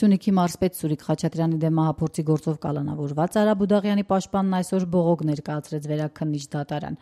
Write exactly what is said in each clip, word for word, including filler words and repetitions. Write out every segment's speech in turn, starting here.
Սյունիքի մարզպետ Սուրիկ Խաչատրյանի դեմ մահափորձի գործով կալանավորված Արա Բուդաղյանի պաշտպանն այսօր բողոք ներկայացրեց վերաքննիչ դատարան։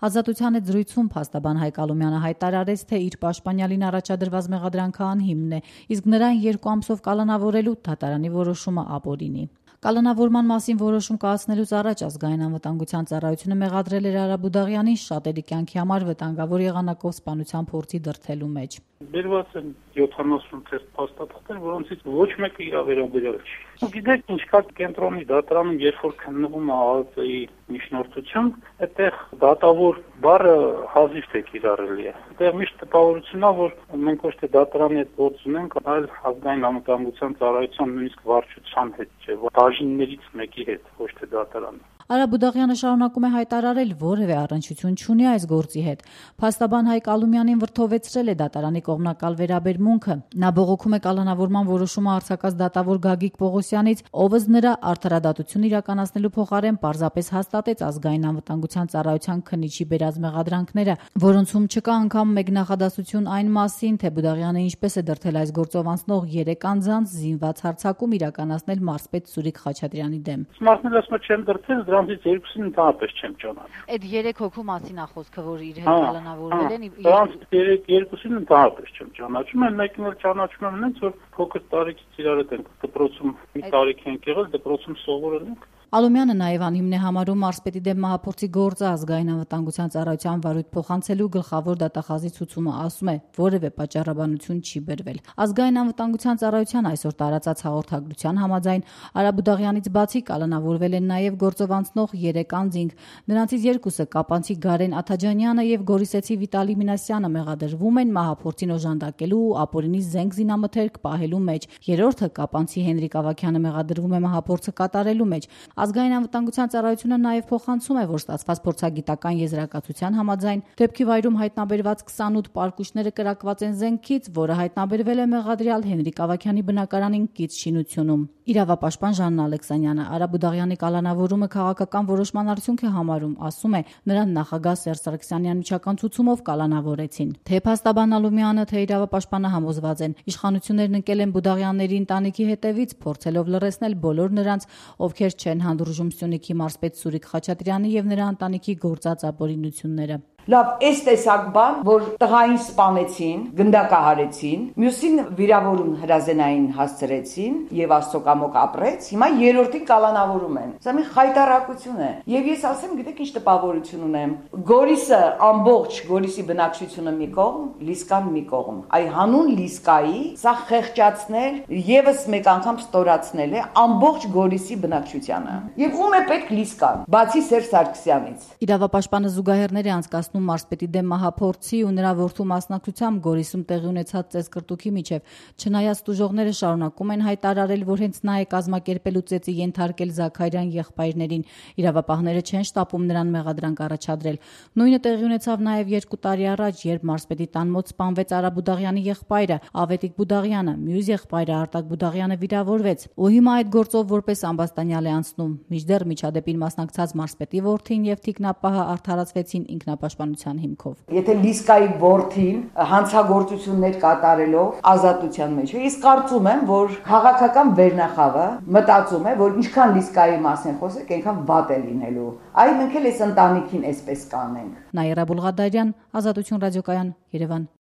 Ազատության հետ զրույցում փաստաբան Հայկ Ալումյանը հայտարարեց, թե իր պաշտպանյալին առաջադրված մեղադրանքը անհիմն է, իսկ նրան երկու ամսով կալանավորելու դատարանի որոշումը ապօրինի։ Կալանավորման մասին որոշում կայացնելուց առաջ ազգային անվտանգության ծառայությունը մեղադրել էր Արա Բուդաղյանին շատերի կյանքի համար վտանգավոր եղանակով սպանության փորձի դրդելու մեջ։ Բերված են յոթանասուն թերթ փաստաթղթեր, որոնցից ոչ մեկը իր վերաբերյալ չի։ Գիտեք, ինչ կա կենտրոնի դատարանում, երբ որ քննվում է ԱԱԾ-ի միջնորդություն, այդտեղ դատավոր բառը հազիվ թե կիրառելի է։ Այդտեղ միշտ տպավորությունն է, որ մենք ոչ թե դատարանի հետ գործ ունենք, այլ ազգային անվտանգության ծառայության նույնիսկ վարչության հետ չէ, բաժիններից մեկի հետ, ոչ թե դատարանի։ Արա Բուդաղյանը շարունակում է հայտարարել, որևէ առնչություն չունի այս գործի հետ։ Փաստաբան Հայկ Ալումյանին վրդովեցրել է դատարանի կողմնակալ վերաբերմունքը։ Նա բողոքում է կալանավորման որոշումը արձակած դատավոր Գագիկ Պողոսյանից, ով ըստ նրա արդարադատություն իրականացնելու փոխարեն պարզապես հաստատեց ազգային անվտանգության ծառայության քննիչի բերած մեղադրանքները, որոնցում չկա անգամ մեկ նախադասություն այն մասին, թե Բուդաղյանը ինչպես է դրդել այս գործով անցնող երեք անձանց զինված հարձակում իրականացնել մարզպետ Սուրիկ Խաչատրյանի դեմ։ Մարդները ասում են չեմ դրդել, դրանից երկուսին ընդհանրապես չեմ ճանաչում։ Այդ երեք հոգու մասին է խոսքը, որ իր հետ կալանավորվել են։ Դրանից երեք երկուսին ընդհանրապես չեմ ճանաչում, այն մեկին էլ ճանաչում եմ նենց, որ փոքր տարիքից իրար հետ ենք դպրոցում մի տարիք ենք եղել, դպրոցում սովորել ենք։ Ալումյանը նաև անհիմն է համարում մարզպետի դեմ մահափորձի գործը ազգային անվտանգության ծառայության վարույթ փոխանցելու գլխավոր դատախազի ցուցումը, ասում է, որևէ պատճառաբանություն չի բերվել։ Ազգային անվտանգության ծառայության այսօր տարածած հաղորդագրության համաձայն Արա Բուդաղյանից բացի կալանավորվել են նաև գործով անցնող երեք անձինք։ Նրանցից երկուսը կապանցի Գարեն Աթաջանյանը եւ Գորիսեցի Վիտալի Մինասյանը մեղադրվում են մահափորձին օժանդակելու ու ապօրինի զենք զինամթերք պահելու մեջ։ Երրորդը կապանցի Հենրիկ Ավագյանը մեղադրվում է մահափորձը կատարելու մեջ։ Ազգային անվտանգության ծառայությունը նաև փոխանցում է, որ ստացված փորձագիտական եզրակացության համաձայն դեպքի վայրում հայտնաբերված քսանութ պարկուշները կրակված են զենքից, որը հայտնաբերվել է մեղադրյալ Հենրիկ Ավագյանի բնակարանին կից շինությունում։ Իրավապաշտպան Ժաննա Ալեքսանյանը Արա Բուդաղյանի կալանավորումը քաղաքական որոշման արդյունք է համարում, ասում է, նրան նախագահ Սերժ Սարգսյանի անմիջական ցուցումով կալանավորեցին։ Թե փաստաբան Ալումյանը, թե իրավապաշտպանը համոզված են, իշխանություններն ընկել են Բուդաղյանների ընտանիքի հետևից, փորձելով լռեցնել բոլոր նրանց, ովքեր չեն հանդուրժում Սյունիքի մարզպետ Սուրիկ Խաչատրյանի եւ նրա ընտանիքի գործած ապօրինությունները։ Լավ, այս տեսակ բան, որ տղային սպանեցին, գնդակահարեցին, մյուսին վիրավորում հրազենային հասցրեցին եւ Աստծո կամոք ապրեց, հիմա երրորդին կալանավորում են։ Սա մի խայտարակություն է։ Եվ ես ասեմ, գիտեք ինչ տպավորություն ունեմ։ Գորիսը ամբողջ Գորիսի բնակչությունը մի կողմ, Լիսկան մի կողմ։ Այ հանուն Լիսկայի սա խեղճացնել եւս մեկ անգամ ստորացնել է ամբողջ Գորիսի բնակչությանը։ Եվ ում է պետք Լիսկան, բացի Սերժ Սարգսյանից։ Իրավապաշտպանը զուգահեռներ է անցկացնում մարզպետի դեմ մահափորձի ու նրա որդու մասնակցությամբ Գորիսում տեղի ունեցած ծեծկրտուքի միջև։ Չնայած տուժողները շարունակում են հայտարարել, որ հենց նա է կազմակերպելու ծեծի ենթարկել Զաքարյան եղբայրներին, իրավապահները չեն շտապում նրան մեղադրանք առաջադրել։ Նույնը տեղի ունեցավ նաև երկու տարի առաջ, երբ մարզպետի տան մոտ սպանվեց Արա Բուդաղյանի եղբայրը Ավետիք Բուդաղյանը, մյուս եղբայրը Արտակ Բուդաղյանը վիրավորվեց, ու հիմա այդ գործով որպես ամբաստանյալ է անցնում։ Մինչդեռ միջադեպին մասնակցած մարզպետի որդին եւ թիկնապահը արդարացվեցին ինքնապաշտպանության հիմքով։ Եթե Լիսկայի որդին հանցագործություններ կատարելով ազատության մեջ է, ես կարծում եմ, որ քաղաքական վերնախավը մտածում է, որ ինչքան Լիսկայի մասին խոսեք, այնքան վատ է լինելու։ Այ մենք էլ այս ընտանիքին այսպես կանենք։ Նաիրա Բուլղադարյան, Ազատություն ռադիոկայան, Երևան։